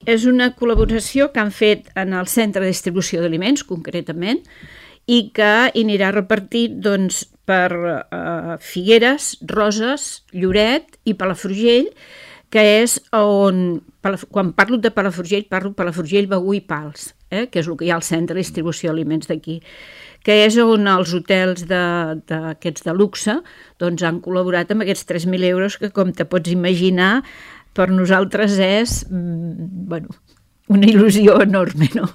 és una col·laboració que han fet en el Centre de Distribució d'Aliments, concretament, i que anirà repartit doncs, per Figueres, Roses, Lloret i Palafrugell, que és on, quan parlo de Palafrugell, parlo Palafrugell, Begur i Pals, que és el que hi ha al Centre de Distribució d'Aliments d'aquí, que és on els hotels d'aquests de luxe doncs, han col·laborat amb aquests 3.000 euros que, com te pots imaginar, per nosaltres és una il·lusió enorme, no?